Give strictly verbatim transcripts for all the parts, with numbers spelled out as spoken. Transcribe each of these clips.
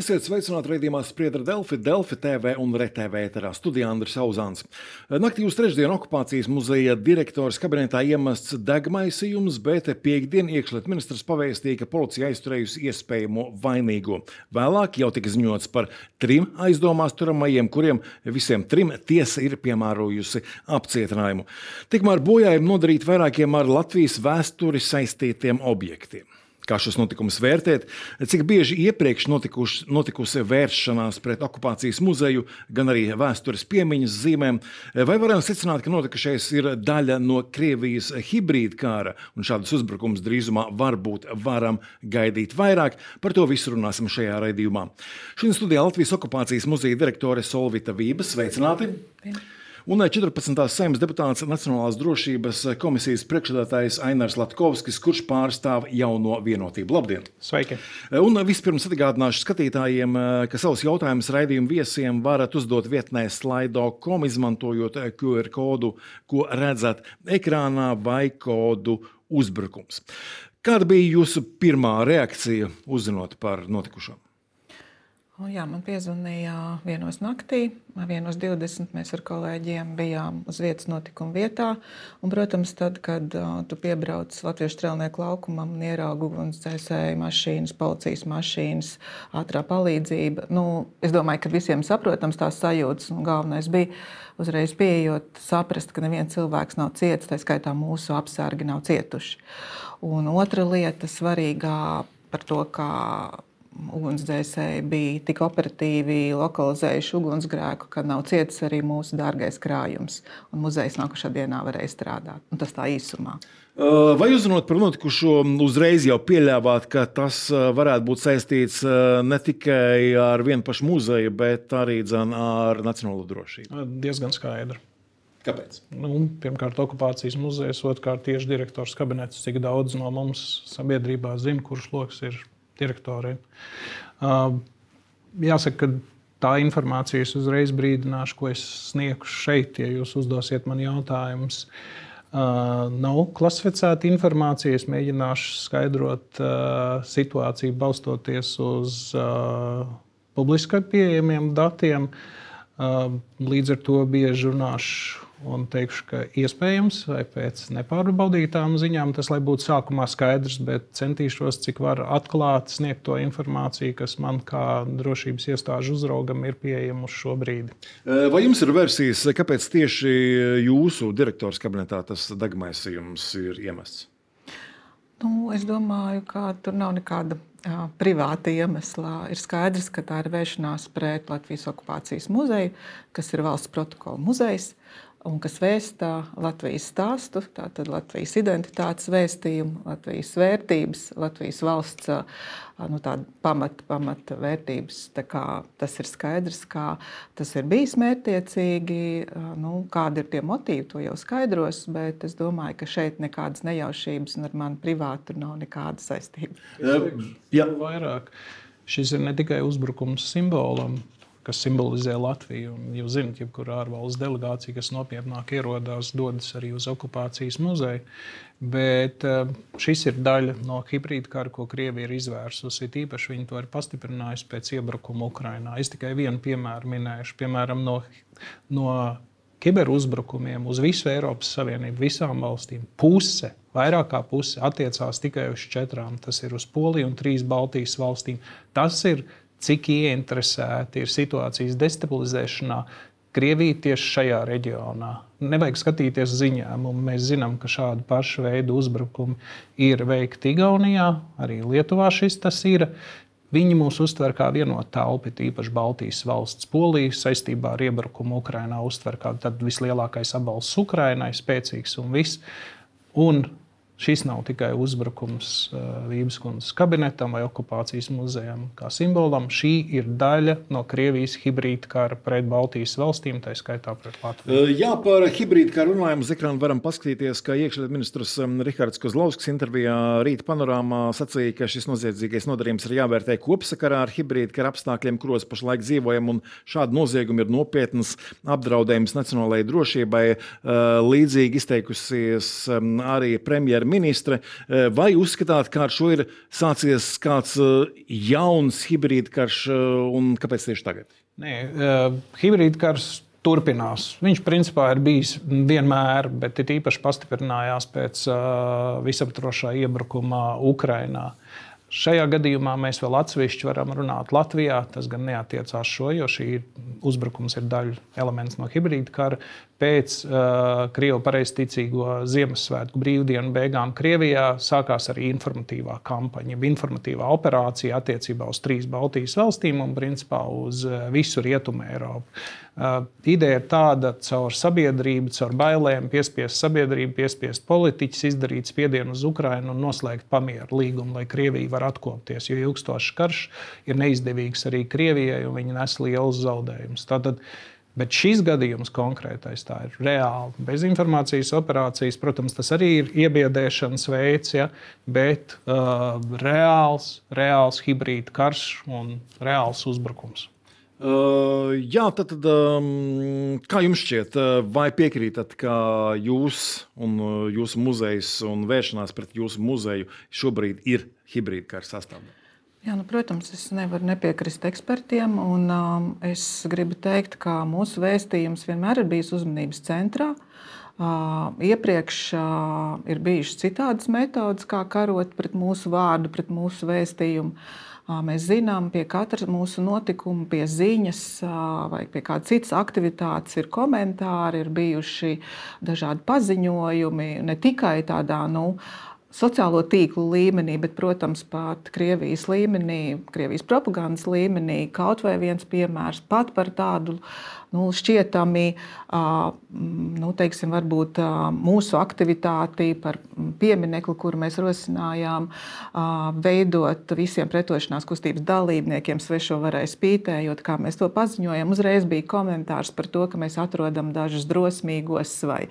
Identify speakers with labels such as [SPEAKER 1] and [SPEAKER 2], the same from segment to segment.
[SPEAKER 1] Esiet sveicināti raidījumā Spriedra Delfi, Delfi T V un R T V ēterā. Studijā Andris Auzāns. Naktī uz trešdienu okupācijas muzeja direktors kabinetā iemests degmaisījums, bet piektdien iekšlietu ministrs pavēstīja, ka policija aizturējusi iespējamo vainīgo. Vēlāk jau tika ziņots par trim aizdomās turamajiem, kuriem visiem trim tiesa ir piemērojusi apcietinājumu. Tikmēr bojājumi nodarīti vairākiem ar Latvijas vēsturi saistītiem objektiem. Kā šos notikumus vērtēt, cik bieži iepriekš notikuši, notikusi vēršanās pret okupācijas muzeju, gan arī vēstures piemiņas zīmēm, vai varam secināt, ka notikušais ir daļa no Krievijas hibrīda kāra, un šādus uzbrukumus drīzumā varbūt varam gaidīt vairāk? Par to visu runāsim šajā raidījumā. Šodien studijā Latvijas okupācijas muzeja direktore Solvita Vība. Sveicināti! Un četrpadsmitās Saeimas deputāts Nacionālās drošības komisijas priekšsēdētājs Ainars Latkovskis, kurš pārstāv Jauno Vienotību. Labdien!
[SPEAKER 2] Sveiki!
[SPEAKER 1] Un vispirms atgādināšu skatītājiem, ka savus jautājumus raidījumu viesiem varat uzdot vietnē slaido punkt com, izmantojot Q R kodu, ko redzat ekrānā, vai kodu uzbrukums. Kāda bija jūsu pirmā reakcija uzzinot par notikušo?
[SPEAKER 3] O, jā, man piezvanīja vienos naktī, vienos divdesmit mēs ar kolēģiem bijām uz vietas notikuma vietā. Un, protams, tad, kad uh, tu piebrauc Latviešu strēlnieku laukumam un ieraugi ugunsdzēsēju mašīnas, policijas mašīnas, ātrā palīdzība, nu, es domāju, ka visiem saprotams tās sajūtas, un galvenais bija uzreiz pieejot saprast, ka neviens cilvēks nav ciets, tā skaitā mūsu apsargi nav cietuši. Un otra lieta svarīgā par to, kā ugunsdzēsēji bija tik operatīvi lokalizējuši ugunsgrēku, ka nav cietis arī mūsu dārgais krājums. Un muzejs nākošā dienā varēja strādāt. Un tas tā īsumā.
[SPEAKER 1] Vai uzzinot par notikušo, uzreiz jau pieļāvāt, ka tas varētu būt saistīts ne tikai ar vienu pašu muzeju, bet arī dzen ar nacionālo drošību?
[SPEAKER 2] Diezgan skaidri.
[SPEAKER 1] Kāpēc?
[SPEAKER 2] Nu, pirmkārt, okupācijas muzejs, otrkārt tieši direktors kabinets, cik daudz no mums sabiedrībā zina, kurš loks ir direktoriem. Jāsaka, ka tā informācija es uzreiz brīdināšu, ko es sniegšu šeit, ja jūs uzdosiet man jautājumus. Nav klasificēta informācija, es mēģināšu skaidrot situāciju balstoties uz publiskai pieejamiem datiem. Līdz ar to bieži runāšu un teikšu, ka iespējams vai pēc nepārbaudītām ziņām tas, lai būtu sākumā skaidrs, bet centīšos, cik var atklāt, sniegt to informāciju, kas man kā drošības iestāžu uzraugam ir pieejama uz šo brīdi.
[SPEAKER 1] Vai jums ir versijas, kāpēc tieši jūsu direktors kabinetā tas degmaisījums ir iemests?
[SPEAKER 3] Nu, es domāju, ka tur nav nekāda jā, privāta iemesla. Ir skaidrs, ka tā ir vēršanās pret Latvijas okupācijas muzeju, kas ir valsts protokola muzejs, un kas vēsta Latvijas stāstu, tātad Latvijas identitātes vēstījumu, Latvijas vērtības, Latvijas valsts nu, pamata, pamata vērtības. Tā kā tas ir skaidrs, kā tas ir bijis mērķtiecīgi, nu, kādi ir tie motīvi, to jau skaidros, bet es domāju, ka šeit nekādas nejaušības un ar mani privātu nav nekāda saistība.
[SPEAKER 2] Jā. Vairāk. Šis ir ne tikai uzbrukums simbolam, kas simbolizē Latviju. Un jūs zināt, jebkurā ārvalsts delegācija, kas nopietnāk ierodās, dodas arī uz okupācijas muzeju. Bet šis ir daļa no hibrīda kara, ko Krievija ir izvērsusi. Īpaši viņi to ir pastiprinājusi pēc iebrukuma Ukrainā. Es tikai vienu piemēru minēšu. Piemēram, no, no kiberuzbrukumiem uz visu Eiropas Savienību, visām valstīm, puse, vairāk kā puse attiecās tikai uz četrām. Tas ir uz Poliju un trīs Baltijas valstīm. Tas ir cik ieinteresēti ir situācijas destabilizēšanā Krievija tieši šajā reģionā. Nevajag skatīties ziņām, mēs zinām, ka šādu pašu veidu uzbrukumi ir veikti Igaunijā, arī Lietuvā šis tas ir. Viņi mūs uztver kā vienotu telpu, īpaši Baltijas valsts. Polija saistībā ar iebrukumu Ukrainā uztver kā tad vislielākais atbalsts Ukrainai, spēcīgs un viss. Un šis nav tikai uzbrukums Vības kundzes kabinetam vai okupācijas muzejam kā simbolam. Šī ir daļa no Krievijas hibrīda kara pret Baltijas valstīm, tā skaitā pret Latviju.
[SPEAKER 1] Jā, par hibrīda karu runājumu uz ekrāna varam paskatīties, ka iekšlietu ministrs Rihards Kozlovskis intervijā Rīta panorāmā sacīja, ka šis noziedzīgais nodarījums ir jāvērtē kopsakarā ar hibrīda kara apstākļiem, kuros pašlaik dzīvojam, un šādi noziegumi ir nopietnas apdraudējums nacionālajai drošībai. Līdzīgi izteikusies arī premjera ministre. Vai uzskatāt, ka ar šo ir sācies kāds jauns hibrīdkarš un kāpēc tieši tagad?
[SPEAKER 2] Nē, hibrīdkarš turpinās. Viņš principā ir bijis vienmēr, bet ir īpaši pastiprinājās pēc visaptvarošā iebrukuma Ukrainā. Šajā gadījumā mēs vēl atsevišķi varam runāt Latvijā. Tas gan neatiecās šo, jo šī uzbrukums ir daļa elements no hibrīda kara. Pēc uh, Krievu pareizticīgo Ziemassvētku brīvdienu beigām Krievijā sākās arī informatīvā kampaņa, informatīvā operācija attiecībā uz trīs Baltijas valstīm un principā uz visu Rietumu Eiropu. Uh, ideja ir tāda, caur sabiedrību, caur bailēm piespiest sabiedrību, piespiest politiķus, izdarīt spiedienu uz Ukrainu un noslēgt pamieru līgumu, lai Krievija var atkopties, jo ilgstošs karš ir neizdevīgs arī Krievijai un viņi nes lielus zaudējumus. Tātad, bet šis gadījums konkrētais tā ir reāli. Bez informācijas operācijas, protams, tas arī ir iebiedēšanas veids, ja, bet uh, reāls, reāls hibrīda karš un reāls uzbrukums.
[SPEAKER 1] Uh, jā, tad, tad um, kā jums šķiet, vai piekrītat, ka jūs un jūsu muzejs un vēršanās pret jūsu muzeju šobrīd ir hibrīda kara sastāvdaļa?
[SPEAKER 3] Jā, nu, protams, es nevaru nepiekrist ekspertiem, un um, es gribu teikt, ka mūsu vēstījums vienmēr ir bijis uzmanības centrā. Uh, iepriekš uh, ir bijušas citādas metodas, kā karot pret mūsu vārdu, pret mūsu vēstījumu. Mēs zinām, pie katra mūsu notikuma, pie ziņas vai pie kādas citas aktivitātes ir komentāri, ir bijuši dažādi paziņojumi, ne tikai tādā, nu, sociālo tīklu līmenī, bet, protams, pat Krievijas līmenī, Krievijas propagandas līmenī, kaut vai viens piemērs pat par tādu nu, šķietami, nu, teiksim, varbūt mūsu aktivitāti par pieminekli, kuru mēs rosinājām veidot visiem pretošanās kustības dalībniekiem svešo varai spītējot, kā mēs to paziņojam. Uzreiz bija komentārs par to, ka mēs atrodam dažus drosmīgos vai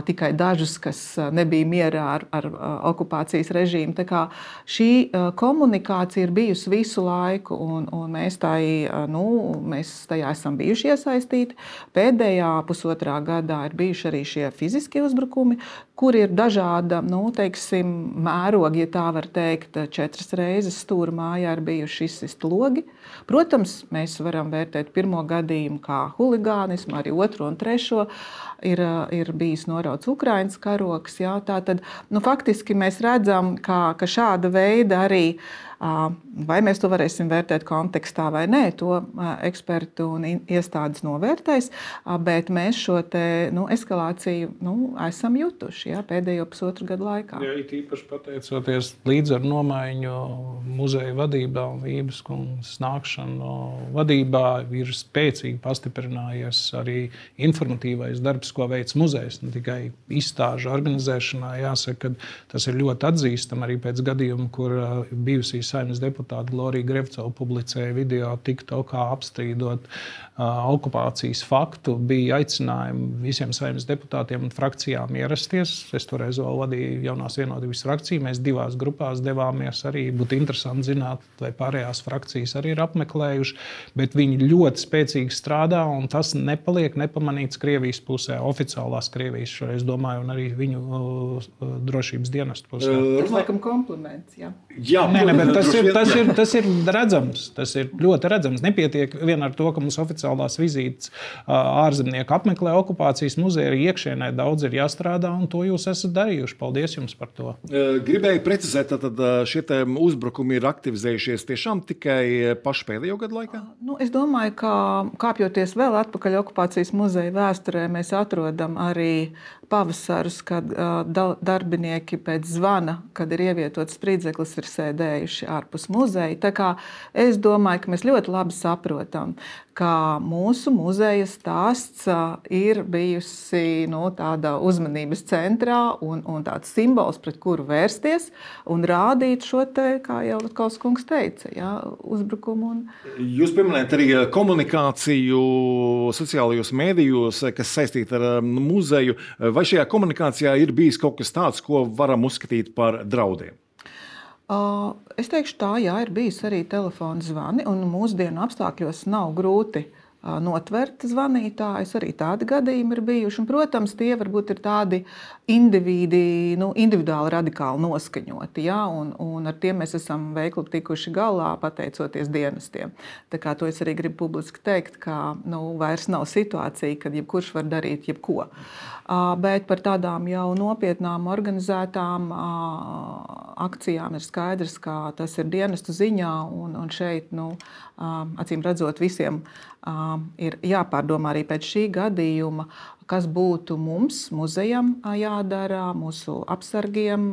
[SPEAKER 3] tikai dažus, kas nebija mierā ar, ar okupācijas režīmu. Tā kā šī komunikācija ir bijusi visu laiku, un, un mēs, tai, nu, mēs tajā esam bijuši iesaistīti. Pēdējā pusotrā gadā ir bijuši arī šie fiziskie uzbrukumi, kur ir dažāda, nu, teiksim, mērogi, ja tā var teikt, četras reizes stūra mājā ir bijuši izsist logi. Protams, mēs varam vērtēt pirmo gadījumu kā huligānismu, arī otro un trešo. Ir, ir bijis norauts Ukrainas karoks. Jā, tātad, nu, faktiski mēs redzam, ka, ka šāda veida arī, vai mēs to varēsim vērtēt kontekstā vai nē, to ekspertu un iestādes novērtēs, bet mēs šo te, nu, eskalāciju nu, esam jutuši jā, pēdējo pusotru gadu laikā.
[SPEAKER 2] Jā, it īpaši pateicoties līdz ar nomaiņu muzeja vadībā un Vības kundzes nākšanu vadībā ir spēcīgi pastiprinājies arī informatīvais darbs, ko veic muzejs, ne tikai izstāžu organizēšanā. Jāsaka, ka tas ir ļoti atzīstam arī pēc gadījuma, kur bijusī Saeimas deputāta Glorija Grevcova publicēja video TikTokā apstrīdot uh, okupācijas faktu. Bija aicinājumi visiem Saeimas deputātiem un frakcijām ierasties. Es toreiz vēl vadīju jaunās vienotības frakciju. Mēs divās grupās devāmies arī. Būtu interesanti zināt, vai pārējās frakcijas arī ir apmeklējuši. Bet viņi ļoti spēcīgi strādā un tas nepaliek nepamanīts Krievijas pusē, oficiālās Krievijas šoreiz domāju, un arī viņu uh, drošības dienestu pusē.
[SPEAKER 3] Tas laikam kompliments, jā.
[SPEAKER 1] Jā,
[SPEAKER 2] Nē, ne, bet tas ir, tas, ir, tas ir redzams. Tas ir ļoti redzams. Nepietiek vien ar to, ka mums oficiālās vizītes ārzemnieki apmeklē okupācijas muzeju, arī iekšienē daudz ir jāstrādā, un to jūs esat darījuši. Paldies jums par to.
[SPEAKER 1] Gribēju precizēt, tad šie uzbrukumi ir aktivizējušies tiešām tikai pašu pēdējo gadu laikā?
[SPEAKER 3] Nu, es domāju, ka kāpjoties vēl atpakaļ okupācijas muzeja vēsturē, mēs atrodam arī pavasarus, kad uh, darbinieki pēc zvana, kad ir ievietots spridzeklis, ir sēdējuši ārpus muzeja. Tā kā es domāju, ka mēs ļoti labi saprotam, ka mūsu muzeja stāsts uh, ir bijusi nu, tāda uzmanības centrā un, un tāds simbols, pret kuru vērsties un rādīt šo te, kā jau Latkaus kungs teica, jā, uzbrukumu. Un...
[SPEAKER 1] Jūs pieminējat arī komunikāciju sociālajos mēdījos, kas saistīta ar muzeju. Vai šajā komunikācijā ir bijis kaut kas tāds, ko varam uzskatīt par draudiem?
[SPEAKER 3] Es teikšu tā, jā, ir bijis arī telefona zvani, un mūsdienu apstākļos nav grūti notvert zvanītājus. Arī tādi gadījumi ir bijuši. Un, protams, tie varbūt ir tādi individi, nu, individuāli radikāli noskaņoti. Ja? Un, un ar tiem mēs esam veikli tikuši galā, pateicoties dienestiem. Tā kā to es arī gribu publiski teikt, ka nu, vairs nav situācija, kad jebkurš var darīt jebko. Bet par tādām jau nopietnām organizētām akcijām ir skaidrs, ka tas ir dienestu ziņā. Un, un šeit, nu, acīm redzot, visiem ir jāpārdomā arī pēc šī gadījuma, kas būtu mums, muzejam jādara, mūsu apsargiem,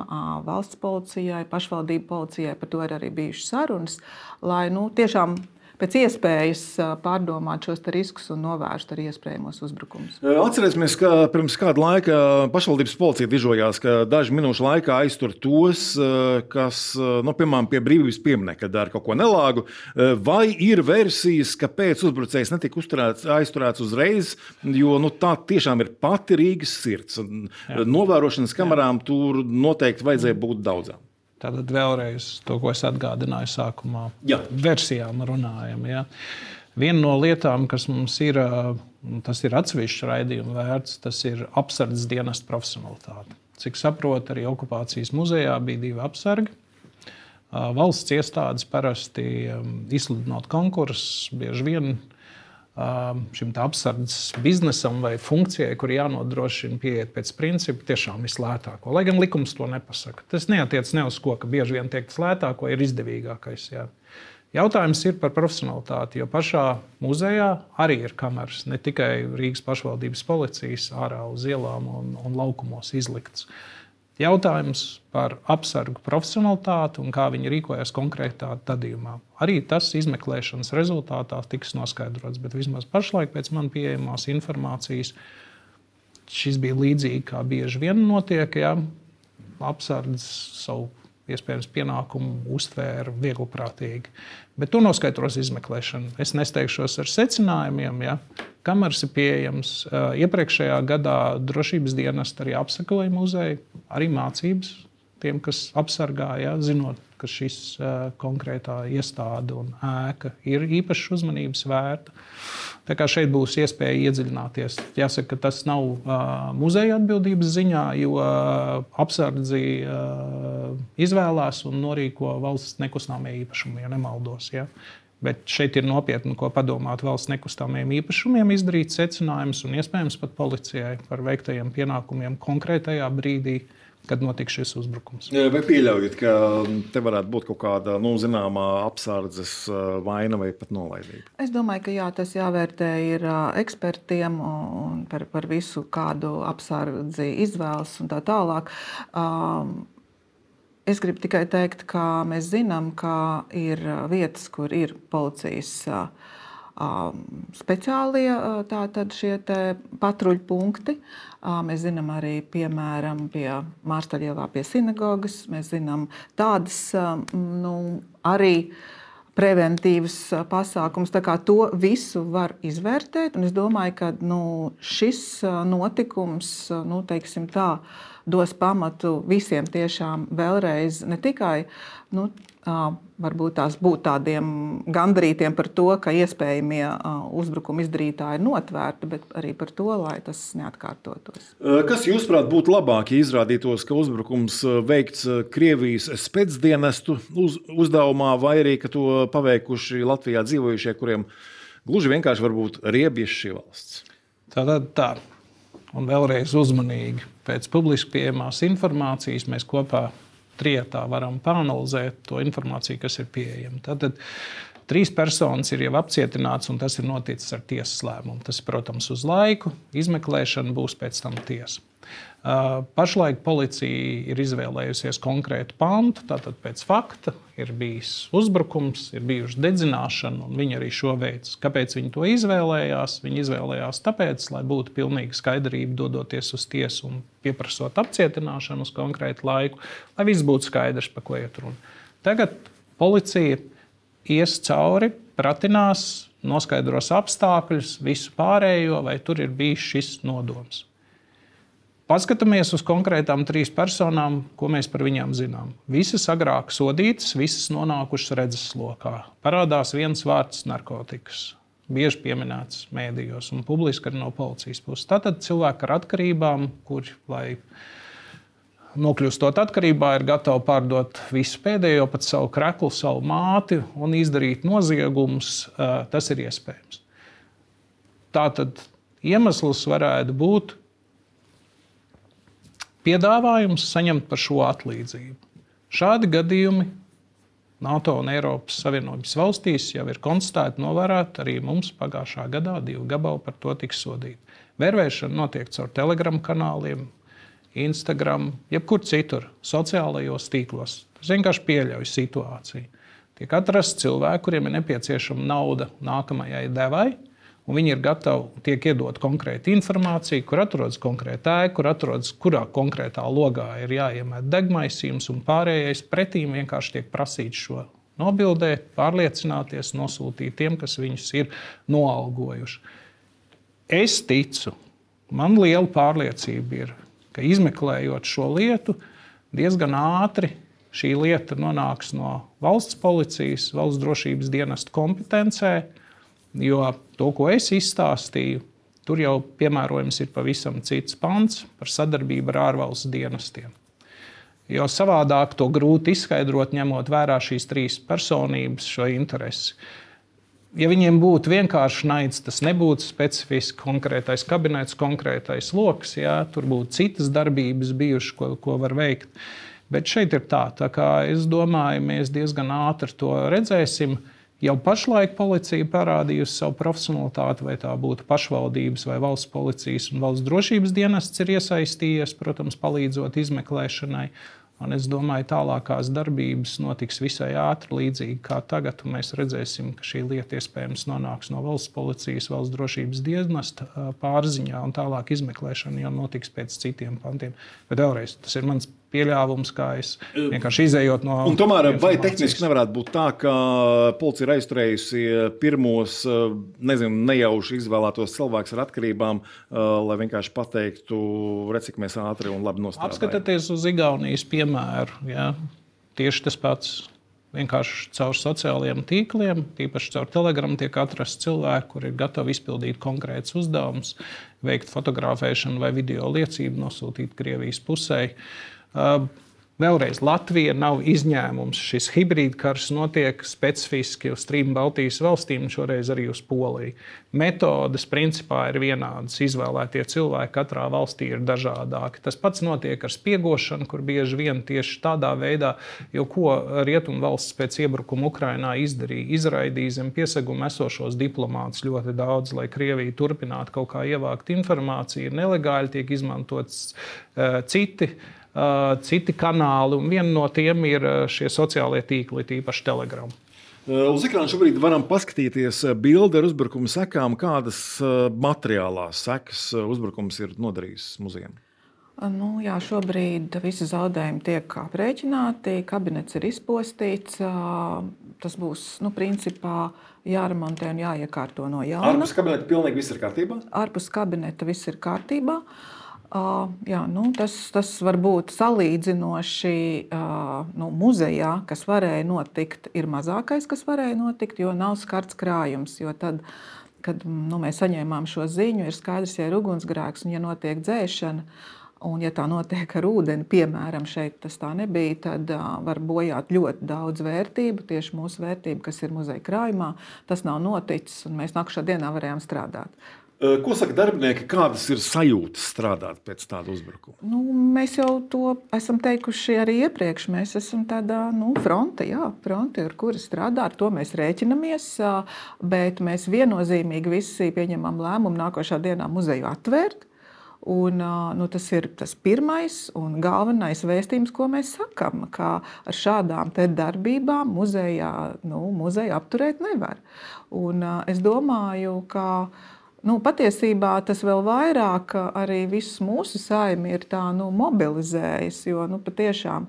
[SPEAKER 3] valsts policijai, pašvaldību policijai. Par to ir arī bijušas sarunas, lai nu, tiešām pēc iespējas pārdomāt šos riskus un novērst arī iespējamos uzbrukumus.
[SPEAKER 1] Atcerēsimies, ka pirms kāda laika pašvaldības policija dižojās, ka daži minūšu laikā aiztur tos, kas, nu, piemēram, pie brīvības pieminekļa dara kaut ko nelāgu. Vai ir versijas, ka pēc uzbrucējs netika uzturēts, aizturēts uzreiz, jo nu, tā tiešām ir pati Rīgas sirds. Jā. Novērošanas kamerām Jā. Tur noteikti vajadzēja būt daudzām.
[SPEAKER 2] Tātad vēlreiz to, ko es atgādināju sākumā,
[SPEAKER 1] Jā.
[SPEAKER 2] Versijām runājam. Ja. Viena no lietām, kas mums ir, tas ir atsevišķs raidījuma vērts, tas ir apsardzes dienesta profesionalitāte. Cik saprotu, arī okupācijas muzejā bija divi apsargi. Valsts iestādes parasti izsludinot konkursus, bieži vien šim apsardzes biznesam vai funkcijai, kur jānodrošina pieiet pēc principa tiešām vislētāko. Lai gan likums to nepasaka. Tas neatiec ne uz ko, ka bieži vien teikt lētāko ir izdevīgākais. Jā. Jautājums ir par profesionalitāti, jo pašā muzejā arī ir kameras, ne tikai Rīgas pašvaldības policijas ārā uz ielām un, un laukumos izlikts. Jautājums par apsargu profesionalitāti un kā viņi rīkojas konkrētā gadījumā. Arī tas izmeklēšanas rezultātā tiks noskaidrots, bet vismaz pašlaik pēc man pieejamās informācijas šis bija līdzīgi, kā bieži vien notiek, ja apsardzes savu iespējams pienākumu uztvēra viegliprātīgi. Bet to noskaidros izmeklēšana. Es nesteigšos ar secinājumiem, ja. Kameras ir pieejams. Iepriekšējā gadā drošības dienesti arī apsekoja muzeju, arī mācības tiem, kas apsargāja, zinot, ka šis konkrētā iestāde un ēka ir īpaši uzmanības vērta. Tā kā šeit būs iespēja iedziļināties. Jāsaka, ka tas nav uh, muzeja atbildības ziņā, jo uh, apsardzi uh, izvēlās un norīko valsts nekustamie īpašumi, ja nemaldos. Ja? Bet šeit ir nopietni, ko padomāt valsts nekustamiem īpašumiem, izdarīt secinājumus un iespējams pat policijai par veiktajiem pienākumiem konkrētajā brīdī, kad notika šis uzbrukums.
[SPEAKER 1] Vai pieļaujat, ka te varētu būt kaut kāda nu, zināmā apsardzes vaina vai pat nolaidība?
[SPEAKER 3] Es domāju, ka jā, tas jāvērtē ir ekspertiem un par, par visu, kādu apsardzi izvēlas un tā tālāk. Es gribu tikai teikt, ka mēs zinām, ka ir vietas, kur ir policijas speciālie tātad šie te patruļu punkti. Mēs zinām arī, piemēram, pie Mārstaļielā pie sinagogas. Mēs zinām tādas nu, arī preventīvas pasākums. Tā kā to visu var izvērtēt. Un es domāju, ka nu, šis notikums, nu, teiksim tā, dos pamatu visiem tiešām vēlreiz ne tikai nu, varbūt tās būt tādiem gandarītiem par to, ka iespējamie uzbrukuma izdarītāji ir notvērti, bet arī par to, lai tas neatkārtotos.
[SPEAKER 1] Kas jūsuprāt būtu labāk, ja izrādītos, ka uzbrukums veikts Krievijas specdienestu uz, uzdevumā, vai arī, ka to paveikuši Latvijā dzīvojušie, kuriem gluži vienkārši varbūt riebjas šī valsts?
[SPEAKER 2] Tātad tā. Un vēlreiz uzmanīgi. Pēc publiski pieejamās informācijas mēs kopā trietā varam pāanalizēt to informāciju, kas ir pieejama. Tātad trīs personas ir jau apcietināts, un tas ir noticis ar tiesas lēmumu. Tas, protams, uz laiku, izmeklēšana būs pēc tam tiesa. Pašlaik policija ir izvēlējusies konkrētu pantu, tātad pēc fakta ir bijis uzbrukums, ir bijuši dedzināšana, un viņi arī šo veids. Kāpēc viņi to izvēlējās? Viņi izvēlējās tāpēc, lai būtu pilnīga skaidrība dodoties uz tiesu un pieprasot apcietināšanu uz konkrētu laiku, lai viss būtu skaidrs, pa ko iet runa. Tagad policija ies cauri, pratinās, noskaidros apstākļus, visu pārējo, vai tur ir bijis šis nodoms. Paskatāmies uz konkrētām trīs personām, ko mēs par viņām zinām. Visas agrāk sodītas, visas nonākušas redzeslokā. Parādās viens vārds narkotikas. bieži pieminēts mēdījos un publiski arī no policijas puses. Tātad cilvēki ar atkarībām, kuri, lai nokļūstot atkarībā, ir gatavi pārdot visu pēdējo, pat savu kreklu, savu māti un izdarīt noziegumus, tas ir iespējams. Tātad iemesls varētu būt piedāvājums saņemt par šo atlīdzību. Šādi gadījumi NATO un Eiropas Savienības valstīs jau ir konstatēti, novērēti, arī mums pagājušā gadā divi gabali par to tika sodīti. Vērvēšana notiek caur Telegram kanāliem, Instagram, jebkur citur, sociālajos tīklos. Tas vienkārši pieļauj situāciju. Tiek atrasts cilvēki, kuriem ir nepieciešama nauda nākamajai devai, un viņi ir gatavi, tiek iedot konkrēta informācija, kur atrodas konkrēta ēka, kur atrodas, kurā konkrētā logā ir jāiemet degmaisījums, un pārējais pretīm vienkārši tiek prasīts šo nobildēt, pārliecināties, nosūtīt tiem, kas viņus ir noalgojuši. Es ticu, man liela pārliecība ir, ka izmeklējot šo lietu, diezgan ātri šī lieta nonāks no valsts policijas, valsts drošības dienesta kompetencē, jo to, ko es izstāstīju, tur jau piemērojams ir pavisam cits pants par sadarbību ar ārvalstu dienestiem. Jo savādāk to grūti izskaidrot, ņemot vērā šīs trīs personības šo interesi. Ja viņiem būtu vienkārši naids, tas nebūtu specifiski konkrētais kabinets, konkrētais loks, jā, tur būtu citas darbības bijušas, ko, ko var veikt. Bet šeit ir tā, tā kā es domāju, mēs diezgan ātri to redzēsim. Jau pašlaik policija parādījusi savu profesionalitāti, vai tā būtu pašvaldības vai valsts policijas un valsts drošības dienests ir iesaistījies, protams, palīdzot izmeklēšanai. Un es domāju, tālākās darbības notiks visai ātri, līdzīgi kā tagad. Mēs redzēsim, ka šī lieta iespējams nonāks no valsts policijas, valsts drošības dienesta pārziņā, un tālāk izmeklēšana jau notiks pēc citiem pantiem. Bet vēlreiz, tas ir mans pieļāvums, kā es vienkārši izējot no...
[SPEAKER 1] Un tomēr vai tehniski nevarētu būt tā, ka policija ir aizturējusi pirmos, nezinu, nejauši izvēlētos cilvēkus ar atkarībām, lai vienkārši pateiktu, redz, cik mēs ātri un labi nostrādājam?
[SPEAKER 2] Apskatieties uz Igaunijas piemēru. Jā. Tieši tas pats. Vienkārši caur sociālajiem tīkliem, tīpaši caur Telegram, tiek atrasts cilvēki, kuri ir gatavi izpildīt konkrētus uzdevumus, veikt fotografēšanu vai video liecību, nosūtīt Krievijas pusē. Uh, Vēlreiz, Latvija nav izņēmums. Šis hibrīdkarš notiek specifiski uz trim Baltijas valstīm, šoreiz arī uz Poliju. Metodes principā ir vienādas. Izvēlētie cilvēki katrā valstī ir dažādāki. Tas pats notiek ar spiegošanu, kur bieži vien tieši tādā veidā, jo ko Rietumvalsts pēc iebrukuma Ukrainā izdarīja, izraidīja zem pieseguma esošos diplomātus ļoti daudz, lai Krievija turpinātu kaut kā ievākt informāciju. Ir nelegāli, tiek izmantots uh, citi Uh, citi kanāli, un viena no tiem ir šie sociālie tīkli, tīpaši Telegram.
[SPEAKER 1] Uh, uz ekrāna šobrīd varam paskatīties bildi ar uzbrukuma sekām, kādas uh, materiālās sekas uzbrukums ir nodarījis muzejam.
[SPEAKER 3] Nu, jā, šobrīd visi zaudējumi tiek aprēķināti, kabinets ir izpostīts. Tas būs, nu, principā jāremontē un jāiekārto no jauna.
[SPEAKER 1] Ārpus kabineta pilnīgi viss ir kārtībā?
[SPEAKER 3] Ārpus kabineta viss ir kārtībā. Uh, jā, nu, tas, tas var būt salīdzinoši uh, nu, muzejā, kas varēja notikt, ir mazākais, kas varēja notikt, jo nav skarts krājums. Jo tad, kad nu, mēs saņēmām šo ziņu, ir skaidrs, ja ir ugunsgrēks un ja notiek dzēšana, un ja tā notiek ar ūdeni, piemēram, šeit tas tā nebija, tad uh, var bojāt ļoti daudz vērtību, tieši mūsu vērtību, kas ir muzeja krājumā. Tas nav noticis, un mēs nākušā dienā varējām strādāt.
[SPEAKER 1] Ko saka darbinieki, kādas ir sajūtas strādāt pēc tāda uzbrukuma?
[SPEAKER 3] Nu, mēs jau to esam teikuši arī iepriekš. Mēs esam tādā nu, fronte, jā, fronte, ar kuru strādā, ar to mēs rēķinamies, bet mēs viennozīmīgi visi pieņemam lēmumu nākošā dienā muzeju atvērt. Un, nu, tas ir tas pirmais un galvenais vēstījums, ko mēs sakam, ka ar šādām te darbībām muzejā, nu, muzeju apturēt nevar. Un es domāju, ka Nu, patiesībā tas vēl vairāk arī visus mūsu saimi ir tā, nu, mobilizējis, jo nu, patiešām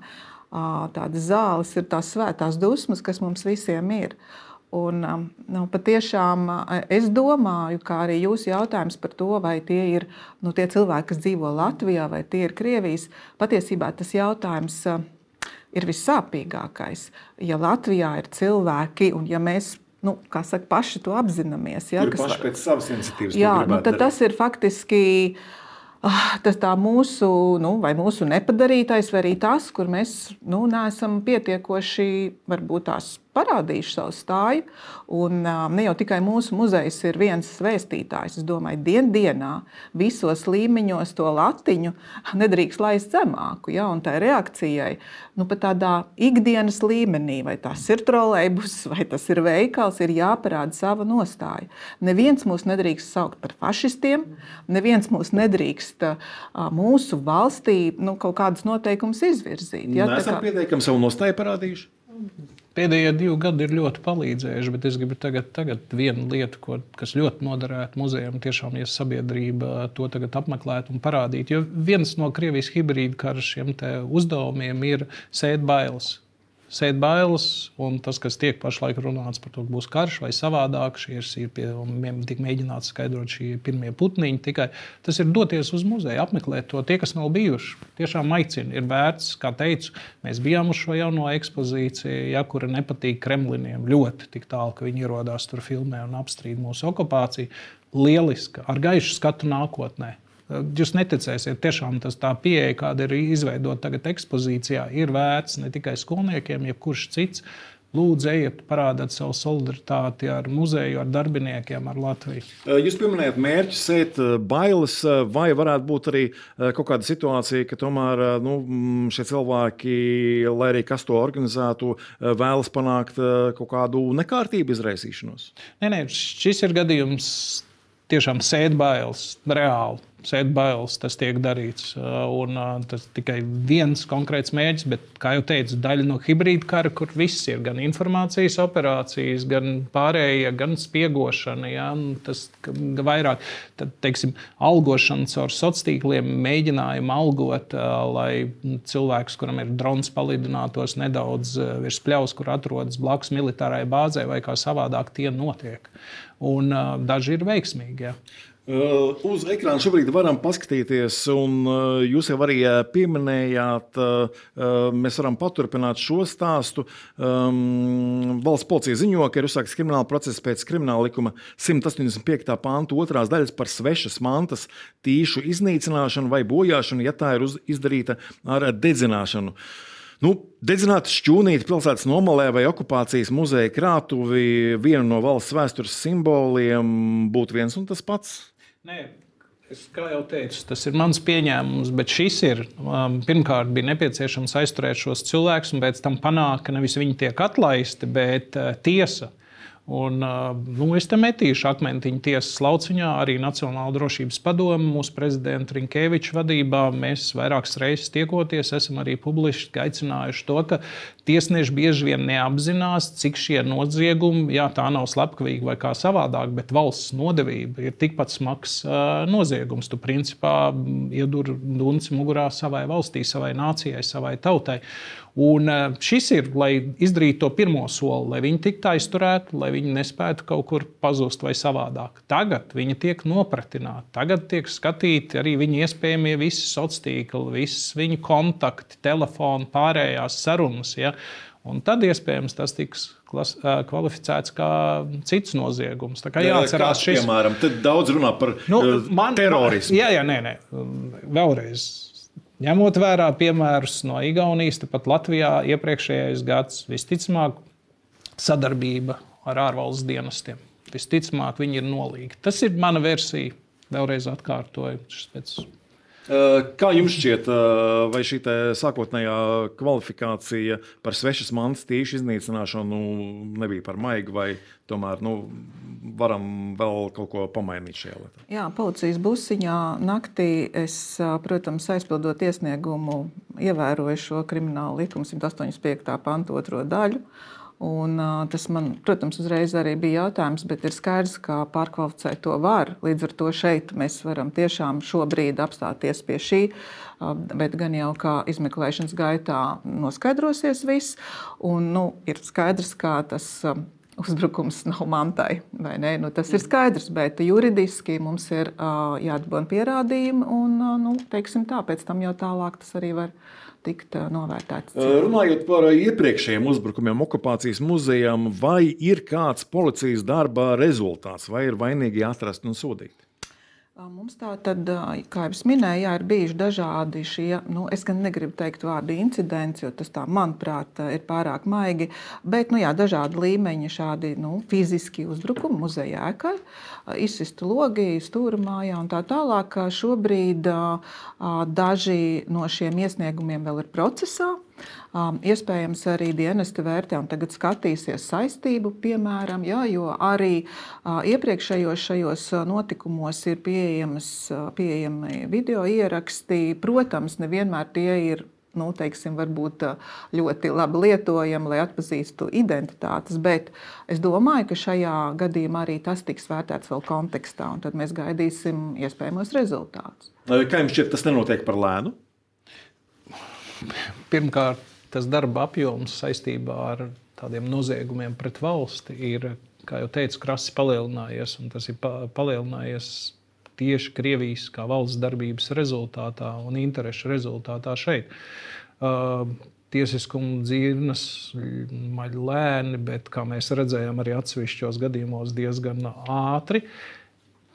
[SPEAKER 3] tādas zāles ir tās svētās dusmas, kas mums visiem ir. Un, nu, patiešām es domāju, kā arī jūsu jautājums par to, vai tie ir nu, tie cilvēki, kas dzīvo Latvijā, vai tie ir Krievijas, patiesībā tas jautājums ir vissāpīgākais. Ja Latvijā ir cilvēki un ja mēs nu, kā saka, paši to apzināmies. Ja,
[SPEAKER 1] Kur paši pēc savas iniciatīvas
[SPEAKER 3] jā,
[SPEAKER 1] to gribētu
[SPEAKER 3] nu, tad
[SPEAKER 1] darīt.
[SPEAKER 3] Tas ir faktiski tas tā mūsu, nu, vai mūsu nepadarītais, vai arī tas, kur mēs nu, neesam pietiekoši varbūt tās parādījuši savu stāju. Un, ne jau tikai mūsu muzejs ir viens vēstītājs. Es domāju, dien dienā visos līmeņos to latiņu nedrīkst laist zemāku. Ja? Un tā reakcijai nu, pat tādā ikdienas līmenī, vai tas ir trolejbus, vai tas ir veikals, ir jāparāda sava nostāja. Neviens mūs nedrīkst saukt par fašistiem, neviens mūs nedrīkst mūsu valstī nu, kaut kādus noteikumus izvirzīt. Ja?
[SPEAKER 1] Nesam kā... pieteikami savu nostāju parādījuši?
[SPEAKER 2] Pēdējie divi gadi ir ļoti palīdzējuši, bet es gribu tagad, tagad vienu lietu, ko, kas ļoti noderētu muzejam, tiešām, ja sabiedrība to tagad apmeklētu un parādītu. Jo viens no Krievijas hibrīdu kara šiem te uzdevumiem ir sēt bailes. Sēt bailes, un tas, kas tiek pašlaik runāts par to, ka būs karš vai savādāk, šīs ir pie, tik mēģināts skaidrot šie pirmie putniņi, tikai tas ir doties uz muzeju, apmeklēt to. Tie, kas nav bijuši, tiešām aicina, ir vērts, kā teicu, mēs bijām uz šo jauno ekspozīciju, ja, kura nepatīk Kremliniem ļoti tik tālu, ka viņi ierodās tur filmē un apstrīd mūsu okupāciju. Lieliska, ar gaišu skatu nākotnē. Jūs neticēsiet, tiešām tas tā pieeja, kāda ir izveidota tagad ekspozīcijā, ir vērts ne tikai skolniekiem, jebkurš cits. Lūdzu, ejiet, parādiet savu solidaritāti ar muzeju, ar darbiniekiem, ar Latviju.
[SPEAKER 1] Jūs pieminējat mērķi sēt bailes, vai varētu būt arī kaut kāda situācija, ka tomēr nu, šie cilvēki, lai arī kas to organizētu, vēlas panākt kaut kādu nekārtību izraisīšanos?
[SPEAKER 2] Nē, nē, šis ir gadījums tiešām sēt bailes, reāli. Sēt bailes, tas tiek darīts. Un tas tikai viens konkrēts mērķis, bet, kā jau teicu, daļa no hibrīda kara, kur viss ir gan informācijas operācijas, gan pārējie, gan spiegošana, ja, tas vairāk, tad, teiksim, algošana caur sociāliem mēģinājumu algot, lai cilvēks, kuram ir drons palidinātos nedaudz virs pļaus, kur atrodas blakus militārai bāzē vai kā savādāk tie notiek. Un daži ir veiksmīgi, ja.
[SPEAKER 1] Uh, uz ekrāna šobrīd varam paskatīties, un uh, jūs jau arī pieminējāt, uh, mēs varam paturpināt šo stāstu. Um, valsts policija ziņo, ka ir uzsākts krimināla process pēc krimināla likuma simt astoņdesmit piekta panta otrās daļas par svešas mantas tīšu iznīcināšanu vai bojāšanu, ja tā ir uz, izdarīta ar dedzināšanu. Nu, dedzināt šķūnīti pilsētas nomalē vai okupācijas muzeja krātuvi, vienu no valsts vēstures simboliem, būtu viens un tas pats?
[SPEAKER 2] Nē, es, kā jau teicu, tas ir mans pieņēmums, bet šis ir, um, pirmkārt, bija nepieciešams aizturēt šos cilvēkus un pēc tam panākt, ka nevis viņi tiek atlaisti, bet uh, tiesa. Un, nu, es te metīšu akmentiņu tiesas lauciņā, arī Nacionāla drošības padome, mūsu prezidenta Rinkeviča vadībā. Mēs vairākas reizes tiekoties, esam arī publiski aicinājuši to, ka tiesneši bieži vien neapzinās, cik šie noziegumi, jā, tā nav slepkavīga vai kā savādāk, bet valsts nodevība ir tikpat smags uh, noziegums. Tu principā iedur dunci mugurā savai valstī, savai nācijai, savai tautai. Un šis ir, lai izdarītu to pirmo soli, lai viņi tiktu aizturēti, lai viņi nespētu kaut kur pazust vai savādāk. Tagad viņi tiek nopratināti, tagad tiek skatīti arī viņi iespējamie visi sociālie tīkli, visas viņu kontakti, telefoni, pārējās sarunas. Ja? Un tad iespējams tas tiks klas, kvalificēts kā cits noziegums. Tā kā jāatcerās šis.
[SPEAKER 1] Piemēram, tad daudz runā par nu, man, terorismu.
[SPEAKER 2] Jā, jā, nē, nē. Vēlreiz. Ņemot vērā piemērus no Igaunijas, tepat Latvijā iepriekšējais gads, visticamāk sadarbība ar ārvalsts dienestiem. Visticamāk viņi ir nolīgti. Tas ir mana versija, vēlreiz atkārtoju. Pēc...
[SPEAKER 1] Kā jums šķiet, vai šī sākotnējā kvalifikācija par svešas mantas tīšu iznīcināšanu nebija par maigu, vai tomēr nu, varam vēl kaut ko pamainīt šajā lietā?
[SPEAKER 3] Jā, policijas busiņā naktī es, protams, aizpildot iesniegumu, ievēroju šo kriminālu likumu simt astoņdesmit piekta panta otro daļu. Un, tas man, protams, uzreiz arī bija jautājums, bet ir skaidrs, ka pārkvalificēt to var. Līdz ar to šeit mēs varam tiešām šobrīd apstāties pie šī, bet gan jau kā izmeklēšanas gaitā noskaidrosies viss. Un, nu, ir skaidrs, kā tas uzbrukums nav mantai, vai ne? Nu, tas ir skaidrs, bet juridiski mums ir jāatbūna pierādījumi un, nu, teiksim tā, pēc tam jau tālāk tas arī var tikt novērtēts.
[SPEAKER 1] Runājot par iepriekšējiem uzbrukumiem okupācijas muzejam, vai ir kāds policijas darba rezultāts, vai ir vainīgi atrasti un sodīti?
[SPEAKER 3] Mums tā tad, kā jau es minēju, jā, ir bijuši dažādi šie, nu, es gan negribu teikt vārdu incidents, jo tas tā, manuprāt, ir pārāk maigi, bet, nu jā, dažādi līmeņi šādi, nu, fiziski uzbrukumi muzeja ēkai, izsistu logi, stūrmājā un tā tālāk. Šobrīd daži no šiem iesniegumiem vēl ir procesā. Um, iespējams, arī dienesti vērtē un tagad skatīsies saistību, piemēram, jā, jo arī uh, iepriekšējos šajos notikumos ir pieejamas, uh, pieejami video ieraksti. Protams, nevienmēr tie ir, nu, teiksim, varbūt ļoti labi lietojami, lai atpazīstu identitātes, bet es domāju, ka šajā gadījumā arī tas tiks vērtēts vēl kontekstā, un tad mēs gaidīsim iespējamos rezultātus.
[SPEAKER 1] Kā jums šķiet, tas nenotiek par lēnu?
[SPEAKER 2] Pirmkārt, tas darba apjoms saistībā ar tādiem noziegumiem pret valsti ir, kā jau teicu, krasi palielinājies, un tas ir palielinājies tieši Krievijas kā valsts darbības rezultātā un interešu rezultātā šeit. Uh, tiesiskuma dzirnas maļ lēni, bet, kā mēs redzējām, arī atsevišķos gadījumos diezgan ātri.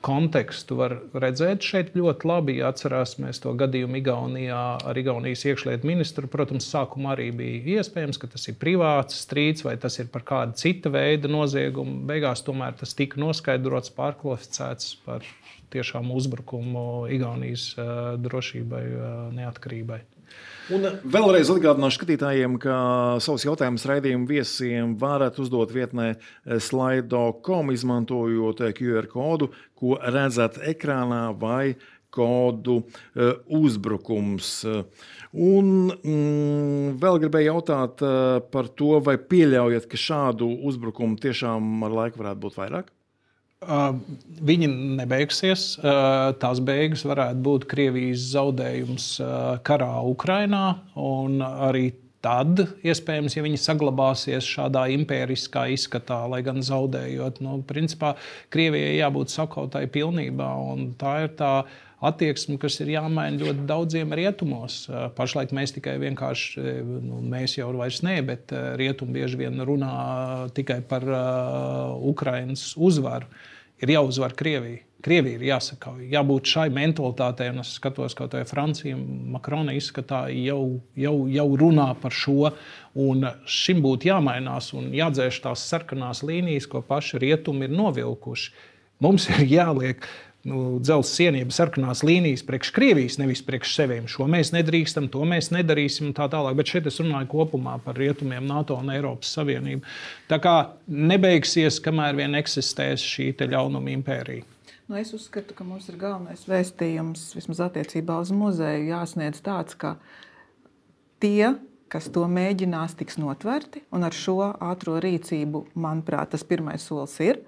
[SPEAKER 2] Kontekstu var redzēt šeit ļoti labi. Ja atcerēsimies to gadījumu Igaunijā ar Igaunijas iekšlietu ministru, protams, sākumā arī bija iespējams, ka tas ir privāts strīds vai tas ir par kādu cita veida noziegumu. Beigās tomēr tas tika noskaidrots, pārkvalificēts par tiešām uzbrukumu Igaunijas uh, drošībai, uh, neatkarībai.
[SPEAKER 1] Un vēlreiz atgādināšu skatītājiem, ka savus jautājumus raidījumu viesiem varat uzdot vietnē slido punktu com, izmantojot Q R kodu, ko redzat ekrānā, vai kodu uh, uzbrukums. Un mm, vēl gribēju jautāt uh, par to, vai pieļaujat, ka šādu uzbrukumu tiešām ar laiku varētu būt vairāk?
[SPEAKER 2] Uh, viņi nebeigsies. Uh, tās beigas varētu būt Krievijas zaudējums uh, karā Ukrainā, un arī tad, iespējams, ja viņi saglabāsies šādā impēriskā izskatā, lai gan zaudējot, nu, principā Krievijai jābūt sakautai pilnībā, un tā ir tā attieksme, kas ir jāmaina ļoti daudziem rietumos. Pašlaik mēs tikai vienkārši, nu, mēs jau vairs ne, bet rietumi bieži vien runā tikai par uh, Ukrainas uzvaru. Ir jāuzvar Krievija. Krievija ir jāsakauj. Jābūt šai mentalitātei, un es skatos, kaut vai Francija, Makrona izskatā jau, jau, jau runā par šo, un šim būtu jāmainās un jādzēš tās sarkanās līnijas, ko paši rietumi ir novilkuši. Mums ir jāliek nu, dzelzs sienības sarkanās līnijas priekš Krievijas, nevis priekš seviem. Šo mēs nedrīkstam, to mēs nedarīsim un tā tālāk. Bet šeit es runāju kopumā par rietumiem, NATO un Eiropas Savienību. Tā kā nebeigsies, kamēr vien eksistēs šī te ļaunuma impērija.
[SPEAKER 3] Nu, es uzskatu, ka mums ir galvenais vēstījums, vismaz attiecībā uz muzeju, jāsniedz tāds, ka tie, kas to mēģinās, tiks notverti, un ar šo ātro rīcību, manuprāt, tas pirmais solis ir.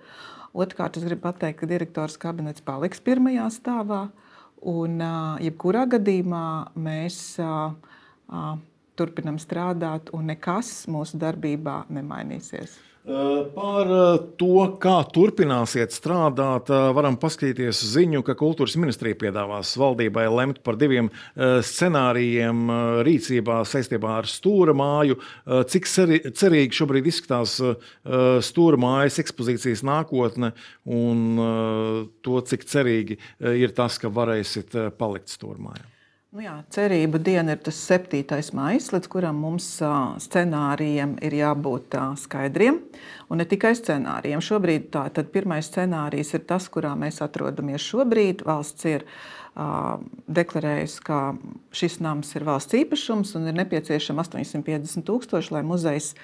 [SPEAKER 3] Otrkārt, es gribu pateikt, ka direktors kabinets paliks pirmajā stāvā, un jebkurā gadījumā mēs a, a, turpinam strādāt, un nekas mūsu darbībā nemainīsies.
[SPEAKER 1] Par to, kā turpināsiet strādāt, varam paskatīties ziņu, ka kultūras ministrija piedāvās valdībai lemt par diviem scenārijiem rīcībā saistībā ar Stūra māju. Cik cerīgi šobrīd izskatās Stūra mājas ekspozīcijas nākotne un to, cik cerīgi ir tas, ka varēsit palikt Stūra mājā?
[SPEAKER 3] Nu jā, cerība diena ir tas septītais maijs, līdz kuram mums scenārijiem ir jābūt skaidriem. Un ne tikai scenārijiem. Šobrīd tā, tad pirmais scenārijs ir tas, kurā mēs atrodamies šobrīd. Valsts ir uh, deklarējusi, ka šis nams ir valsts īpašums un ir nepieciešama astoņsimt piecdesmit tūkstoši, lai muzejs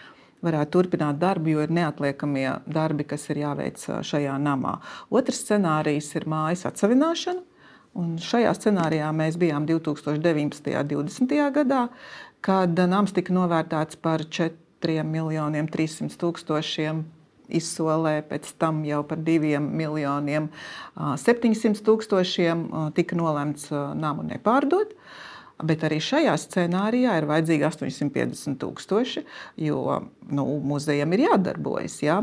[SPEAKER 3] varētu turpināt darbu, jo ir neatliekamie darbi, kas ir jāveic šajā namā. Otrs scenārijs ir mājas atsavināšana. Un šajā scenārijā mēs bijām divi tūkstoši deviņpadsmitajā un divdesmitajā gadā, kad nams tika novērtēts par četriem miljoniem trīssimtiem tūkstošiem izsolē, pēc tam jau par diviem miljoniem septiņsimt tūkstošiem tika nolemts namu nepārdot. Bet arī šajā scenārijā ir vajadzīgi astoņsimt piecdesmit tūkstoši, jo nu, muzejam ir jādarbojas. Ja?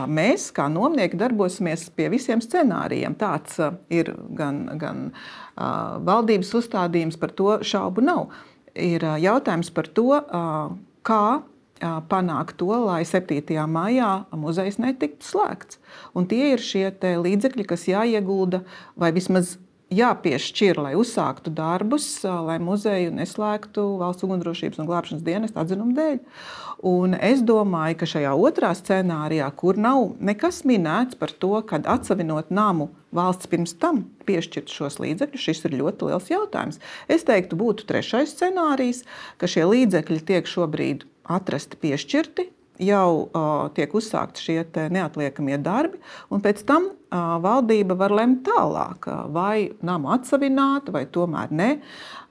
[SPEAKER 3] Mēs, kā nomnieki, darbosimies pie visiem scenārijiem. Tāds ir gan, gan uh, valdības uzstādījums, par to šaubu nav. ir jautājums par to, kā panākt to, lai septītajā maijā muzejs netiktu slēgts. Un tie ir šie līdzekļi, kas jāiegulda vai vismaz jāpiešķir, lai uzsāktu darbus, lai muzeju neslēgtu Valsts ugunsdrošības un glābšanas dienesta atzinuma dēļ. Un es domāju, ka šajā otrā scenārijā, kur nav nekas minēts par to, kad atsavinot namu valsts pirms tam piešķirt šos līdzekļus, šis ir ļoti liels jautājums. Es teiktu, būtu trešais scenārijs, ka šie līdzekļi tiek šobrīd atrasti piešķirti, jau uh, tiek uzsākti šie neatliekamie darbi, un pēc tam uh, valdība var lemt tālāk, uh, vai namu atsavināt, vai tomēr ne.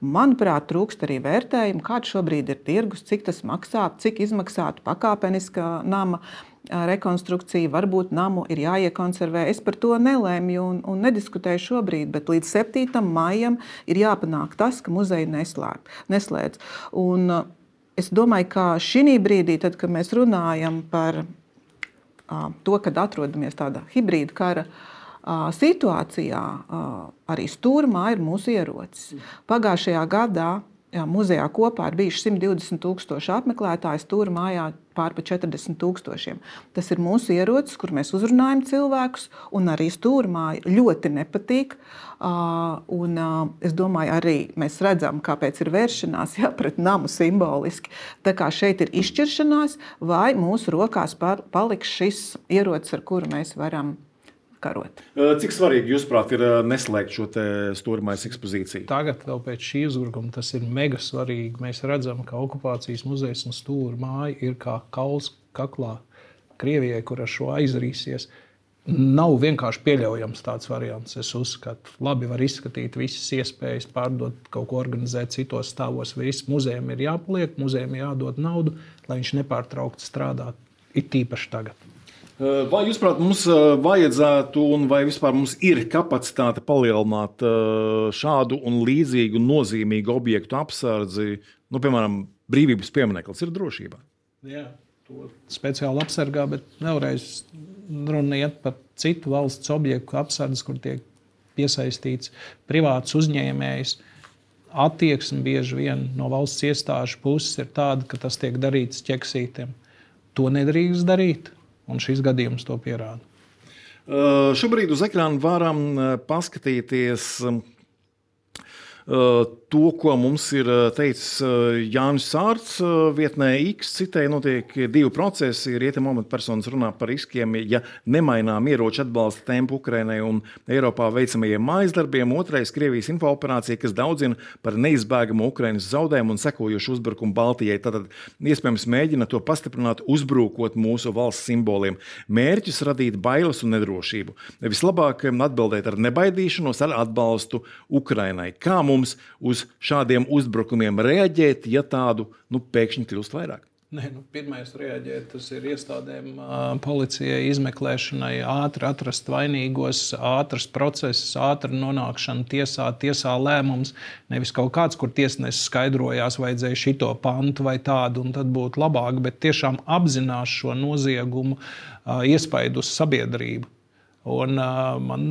[SPEAKER 3] Manuprāt, trūkst arī vērtējumu, kāds šobrīd ir tirgus, cik tas maksā, cik izmaksātu pakāpeniska nama uh, rekonstrukcija, varbūt namu ir jāiekonservē. Es par to nelēmju un, un nediskutēju šobrīd, bet līdz septītajam maijam ir jāpanāk tas, ka muzeji neslēdz. neslēdz. Un, uh, Es domāju, ka šī brīdī, tad, kad mēs runājam par uh, to, kad atrodamies tādā hibrīda kara uh, situācijā, uh, arī stūrmā ir mūsu ierocis. Pagājušajā gadā jā, muzejā kopā ir bijuši simt divdesmit tūkstoši apmeklētāji, stūrmājā pār pa četrdesmit tūkstošiem. Tas ir mūsu ierocis, kur mēs uzrunājam cilvēkus, un arī stūrmāja ļoti nepatīk. Uh, un, uh, es domāju, arī mēs redzam, kāpēc ir vēršanās jā, pret namu simboliski. Tā kā šeit ir izšķiršanās, vai mūsu rokās par, paliks šis ierocis, ar kuru mēs varam karot.
[SPEAKER 1] Cik svarīgi, jūsuprāt, ir neslēgt šo stūrmājas ekspozīciju?
[SPEAKER 2] Tagad vēl pēc šī uzbrukuma tas ir mega svarīgi. Mēs redzam, ka okupācijas muzejs un stūrmāja ir kā kauls kaklā Krievijai, kur ar šo aizrīsies. Nav vienkārši pieļaujams tāds variants. Es uzskatu, labi var izskatīt visas iespējas, pārdot, kaut ko organizēt citos stāvos. Viss muzejam ir jāpaliek, muzejam jādod naudu, lai viņš nepārtraukti strādātu, it tīpaši tagad.
[SPEAKER 1] Vai jūs, prāt, mums vajadzētu un vai vispār mums ir kapacitāte palielināt šādu un līdzīgu nozīmīgu objektu apsardzi, nu, piemēram, Brīvības piemineklis ir drošībā?
[SPEAKER 2] Jā, to speciāli apsargā, bet vēlreiz runa iet par citu valsts objektu apsardzi, kur tiek piesaistīts privāts uzņēmējs. Attieksme bieži vien no valsts iestāžu puses ir tāda, ka tas tiek darīts ķeksītiem. To nedrīkst darīt. Un šis gadījums to pierāda.
[SPEAKER 1] Uh, šobrīd uz ekrāna varam paskatīties uh, to, ko mums ir teicis Jānis Sārts vietnē X. Citēji notiek divi procesi. Rietumu amatpersonas runā par riskiem, ja nemainām ieroču atbalsta tempu Ukrainai un Eiropā veicamajiem mājas darbiem. Otrais - Krievijas infooperācija, kas daudzina par neizbēgamu Ukrainas zaudējumu un sekojošu uzbrukumu Baltijai. Tātad iespējams mēģina to pastiprināt, uzbrukot mūsu valsts simboliem. Mērķis radīt bailes un nedrošību. Vislabāk atbildēt ar nebaidīšanos, ar atbalstu Ukrainai. Kā mums uz šādiem uzbrukumiem reaģēt, ja tādu nu, pēkšņi kļūst vairāk?
[SPEAKER 2] Nē, nu, pirmais reaģēt, tas ir iestādēm, policijai, izmeklēšanai, ātri atrast vainīgos, ātrs process, ātra nonākšana tiesā, tiesā lēmums. Nevis kaut kāds, kur tiesnesis skaidrojās, vajadzēja šito pantu vai tādu, un tad būtu labāk, bet tiešām apzinās šo noziegumu iespaidu uz sabiedrību. Un, uh, man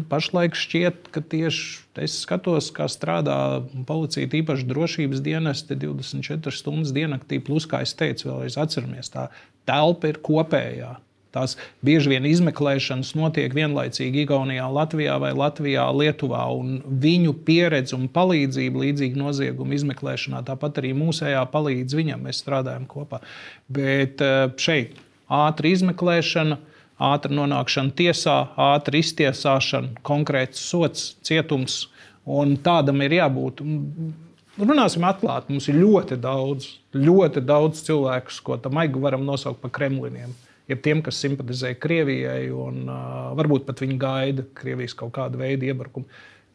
[SPEAKER 2] pašlaik šķiet, ka tieši es skatos, kā strādā policija, tīpaši drošības dienesti divdesmit četras stundas diennaktī, plus, kā es teicu, vēlreiz atceramies, tā telpa ir kopējā. Tās bieži vien izmeklēšanas notiek vienlaicīgi Igaunijā, Latvijā vai Latvijā, Lietuvā, un viņu pieredze un palīdzība līdzīgi noziegumu izmeklēšanā, tāpat arī mūsējā palīdz viņam, mēs strādājam kopā. Bet uh, šeit ātra izmeklēšana, ātra nonākšana tiesā, ātra iztiesāšana, konkrēts sots, cietums, un tādam ir jābūt. Runāsim atklāti, mums ir ļoti daudz, ļoti daudz cilvēkus, ko tam aigu varam nosaukt par kremliniem. Ir tiem, kas simpatizē Krievijai, un uh, varbūt pat viņi gaida Krievijas kaut kādu veidu iebrukumu.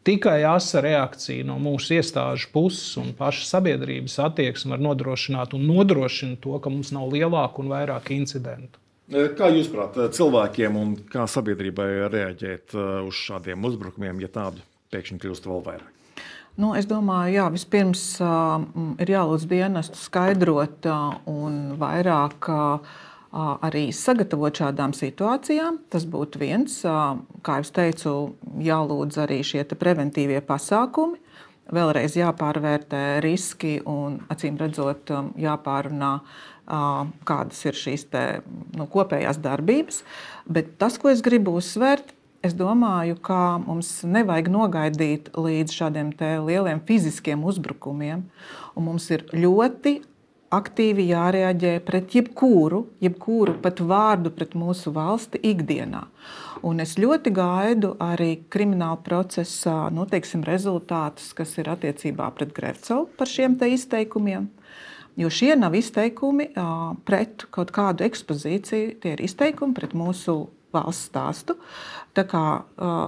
[SPEAKER 2] Tikai asa reakcija no mūsu iestāžu puses un pašas sabiedrības attieksme var nodrošināt un nodrošina to, ka mums nav lielāku un vairāk incidentu.
[SPEAKER 1] Kā jūs prāt, cilvēkiem un kā sabiedrībai reaģēt uz šādiem uzbrukumiem, ja tādu pēkšņi kļūst vēl vairāk?
[SPEAKER 3] Nu, es domāju, jā, vispirms uh, ir jālūdz dienestu skaidrot uh, un vairāk uh, arī sagatavot šādām situācijām. Tas būtu viens. Uh, kā jau teicu, jālūdz arī šie preventīvie pasākumi. vēlreiz jāpārvērtē riski un, acīm redzot, jāpārunā, kādas ir šīs te, nu, kopējās darbības. Bet tas, ko es gribu uzsvērt, es domāju, ka mums nevajag nogaidīt līdz šādiem te lieliem fiziskiem uzbrukumiem, un mums ir ļoti aktīvi jārēģē pret jebkuru, jebkuru pat vārdu pret mūsu valsti ikdienā. Un es ļoti gaidu arī krimināla procesā, nu, teiksim, rezultātus, kas ir attiecībā pret Grevcovu par šiem te izteikumiem. Jo šie nav izteikumi pret kaut kādu ekspozīciju, tie ir izteikumi pret mūsu valsts stāstu. Tā kā,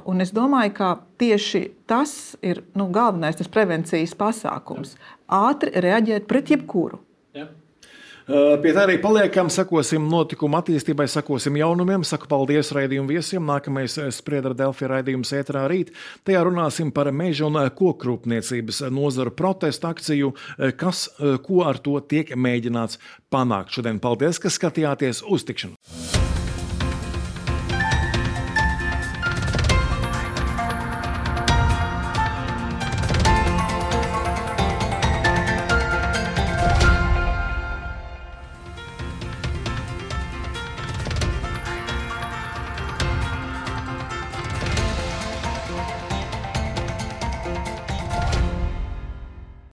[SPEAKER 3] un es domāju, ka tieši tas ir, nu, galvenais tas prevencijas pasākums. Ātri reaģēt pret jebkuru.
[SPEAKER 1] Ja. Pie tā arī paliekam, sakosim notikuma attīstībai, sakosim jaunumiem, saku paldies raidījumu viesiem. Nākamais Spriedra Delfi raidījums ēterā rīt. Tajā runāsim par meža un kokrūpniecības nozaru protestu akciju, kas, ko ar to tiek mēģināts panākt. Šodien paldies, ka skatījāties, uz tikšanos!